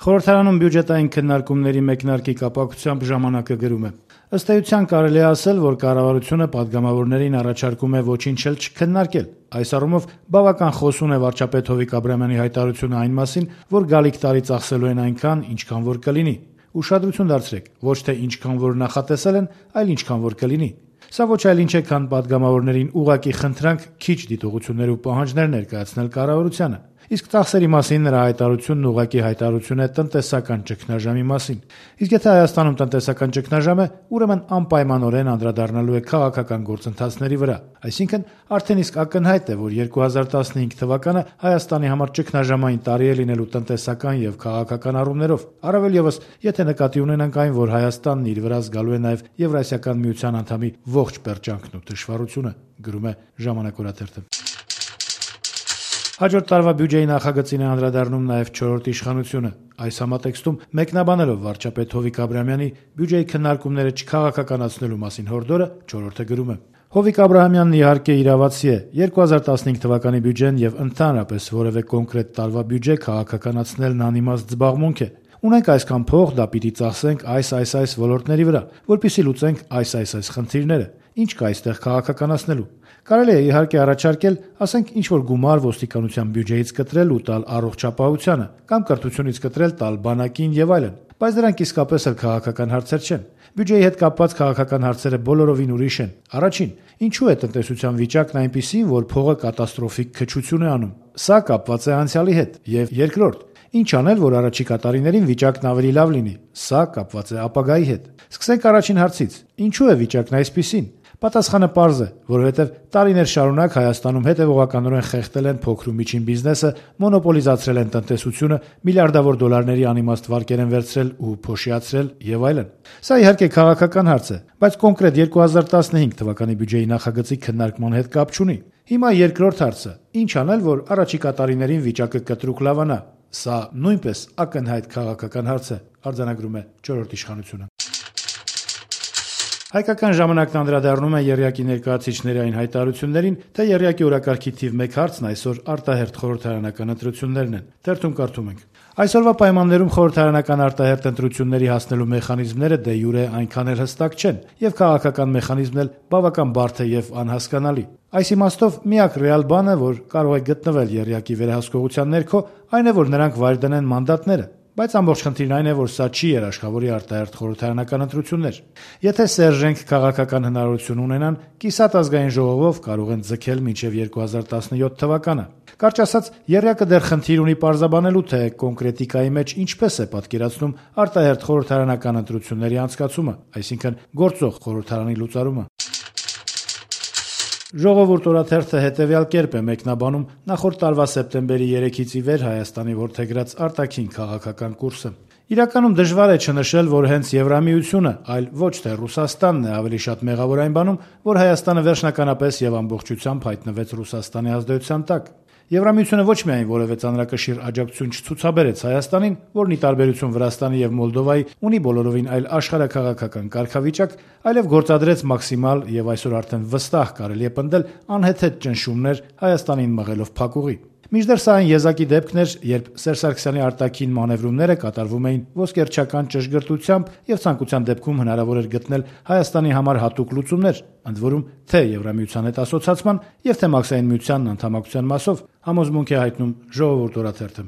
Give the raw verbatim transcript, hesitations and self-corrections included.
Խորհրդարանում բյուջետային քննարկումների մեկնարկի կապակցությամբ ժամանակը գրում է. ըստ էության կարելի է ասել, որ կառավարությունը պատգամավորներին առաջարկում է ոչինչ էլ չքննարկել։ Այս առումով բավական խոսուն է վարչապետ Հովիկ Աբրահամյանի հայտարարությունը այն մասին, որ գալիք տարի ծախսելու են այնքան, ինչքան որ կլինի։ Ուշադրություն դարձրեք, ոչ թե ինչքան որ նախատեսել են, այլ ինչքան որ կլինի։ Սա ոչ այլ ինչ է, քան պատգամավորներին ուղղակի խնդրանք քիչ դիտողություններ ու պահանջներ ներկայացնել կառավարությանը։ Իսկ ծախսերի մասին նրա հայտարարությունն ուղղակի հայտարարություն է տնտեսական ճգնաժամի մասին։ Իսկ եթե Հայաստանում տնտեսական ճգնաժամ է, ուրեմն անպայմանորեն անդրադառնալու է քաղաքական գործընթացների վրա։ Այսինքն արդեն իսկ ակնհայտ է, որ երկու հազար տասնհինգ թվականը Հայաստանի համար ճգնաժամային տարի է լինելու տնտեսական եւ քաղաքական առումներով։ Առավել եւս, եթե նկատի ունենանք այն, որ Հայաստանն իր վրա զգալու է նաեւ Եվրասիական միության անդամի ողջ պերճանքն ու դժվարությունը, գրում է Ժամանակ օրաթերթը։ Հաջորդ տարվա բյուջեի նախագծին է անդրադառնում նաև չորրորդ իշխանությունը։ Այս համատեքստում մեկնաբանելով վարչապետ Հովիկ Աբրահամյանի բյուջեի քննարկումները չքաղաքականացնելու մասին հորդորը չորրորդը գրում է. Հովիկ Աբրահամյանն իհարկե իրավացի է։ երկու հազար տասնհինգ թվականի բյուջեն եւ ընդհանրապես որևէ կոնկրետ տարվա բյուջե քաղաքականացնելն անիմաստ զբաղմունք է։ Ունենք այսքան փող, դա պիտի ծախսենք այս այս այս ոլորտների վրա, որպեսզի լուծենք այս այս այս խնդիրները։ Ինչ կա այստեղ քաղաքականացնելու։ Կարելի է իհարկե առաջարկել, ասենք, ինչ-որ գումար ոստիկանության բյուջեից կտրել ու տալ առողջապահությանը, կամ կրթությունից կտրել տալ բանակին եւ այլն, բայց դրանք իսկապես էլ քաղաքական հարցեր չեն։ Բյուջեի հետ կապված քաղաքական հարցերը բոլորովին ուրիշ են։ Առաջին, ինչու է տնտեսության վիճակն այնպիսին, որ փողը կատաստրոֆիկ քչություն է անում։ Սա կապված է անցյալի հետ։ Եվ երկրորդ, ինչ անել, որ առաջիկա տարիներին վիճակն ավելի լավ լինի։ Սա կապված է ապագայի հետ։ Սկսենք առաջին հարցից. ինչու է վիճակն այսպիսին։ Պատասխանը պարզ է, որովհետև տարիներ շարունակ Հայաստանում հետևողականորեն խեղդել են փոքր ու միջին բիզնեսը, մոնոպոլիզացրել են տնտեսությունը, միլիարդավոր դոլարների անիմաստ վարկեր են վերցրել ու փոշիացրել եւ այլն։ Սա իհարկե քաղաքական հարց է, բայց կոնկրետ երկու հազար տասնհինգ թվականի բյուջեի նախագծի քննարկման հետ կապ չունի։ Հիմա երկրորդ հարցը. ինչ անել, որ առաջիկա տարիներին վիճակը կտրուկ լավանա։ Սա նույնպես ակնհայտ քաղաքական հարց է, արձանագրում է չորրորդ իշխանությունը։ Հայկական ժամանակն անդրադառնում է եռյակի ներկայացուցիչների այն հայտարարություններին, թե եռյակի օրակարգի թիվ մեկ հարցն այսօր արտահերթ խորհրդարանական ընտրություններն են։ Թերթում կարդում ենք. Այսօրվա պայմաններում խորհրդարանական արտահերթ ընտրությունների հասնելու մեխանիզմները դե յուրե այնքան էլ հստակ չեն, եւ քաղաքական մեխանիզմն էլ բավական բարդ է եւ անհասկանալի։ Այս իմաստով միակ ռեալ բանը, որ կարող է գտնվել եռյակի վերահսկողության ներքո, այն է, որ նրանք վայր դնեն մանդատները։ Բայց ամբողջ խնդիրն այն է, որ սա չի երաշխավորի արտահերթ խորհրդարանական ընտրություններ։ Եթե սերժենք քաղաքական հնարավորություն ունենան, կիսատ ազգային ժողովով կարող են ձգել մինչև երկու հազար տասնյոթ թվականը։ Կարճ ասած, եռյակը դեռ խնդիր ունի պարզաբանելու, թե կոնկրետիկայի մեջ ինչպես է պատկերացնում արտահերթ խորհրդարանական ընտրությունների անցկացումը, այսինքն գործող խորհրդարանի լուծարումը։ Ժողովուրդ օրաթերթը հետևյալ կերպ է մեկնաբանում նախորդ տարվա սեպտեմբերի երեքից ի վեր Հայաստանի որդեգրած արտաքին քաղաքական կուրսը։ Իրականում դժվար է չնշել, որ հենց Եվրամիությունը, այլ ոչ թե Ռուսաստանն է ավելի շատ մեղավոր այն բանում, որ Հայաստանը վերջնականապես եւ ամբողջությամբ հայտնվեց Ռուսաստանի ազդեցության տակ։ Եվրամիությունը ոչ միայն որևէ ծանրակշիռ աջակցություն չցուցաբերեց Հայաստանին, որն ի տարբերություն Վրաստանի եւ Մոլդովայի ունի բոլորովին այլ աշխարհաքաղաքական կարգավիճակ, այլև գործադրեց մաքսիմալ եւ այսօր արդեն վստահ կարելի է պնդել անհեթեթ ճնշումներ Հայաստանին մղելով փակուղի։ Մինչդեռ սա այն եզակի դեպքն էր, երբ Սերժ Սարգսյանի արտաքին մանևրումները կատարվում էին ոսկերչական ճշգրտությամբ եւ ցանկության դեպքում հնարավոր էր գտնել Հայաստանի համար հատուկ լուծումներ, ընդ որում թե Եվրամիության հետ ասոցիացման եւ թե Մաքսային միությանն անդամակցության մասով համոզմունք է հայտնում Ժողովուրդ օրաթերթը։